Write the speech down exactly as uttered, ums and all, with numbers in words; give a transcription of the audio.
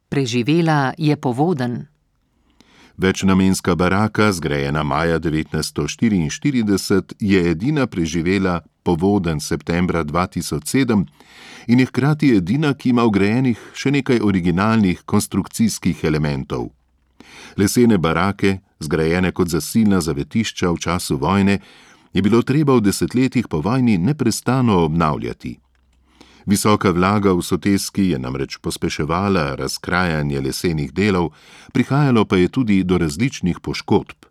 Preživela je povodenj. Večnamenska baraka, zgrajena maja devetnajststo štiriinštirideset, je edina preživela povodenj septembra dva tisoč sedem in je hkrati edina, ki ima vgrajenih še nekaj originalnih konstrukcijskih elementov. Lesene barake, zgrajene kot zasilna zavetišča v času vojne, je bilo treba v desetletjih po vojni neprestano obnavljati. Visoka vlaga v soteski je namreč pospeševala razkrajanje lesenih delov, prihajalo pa je tudi do različnih poškodb.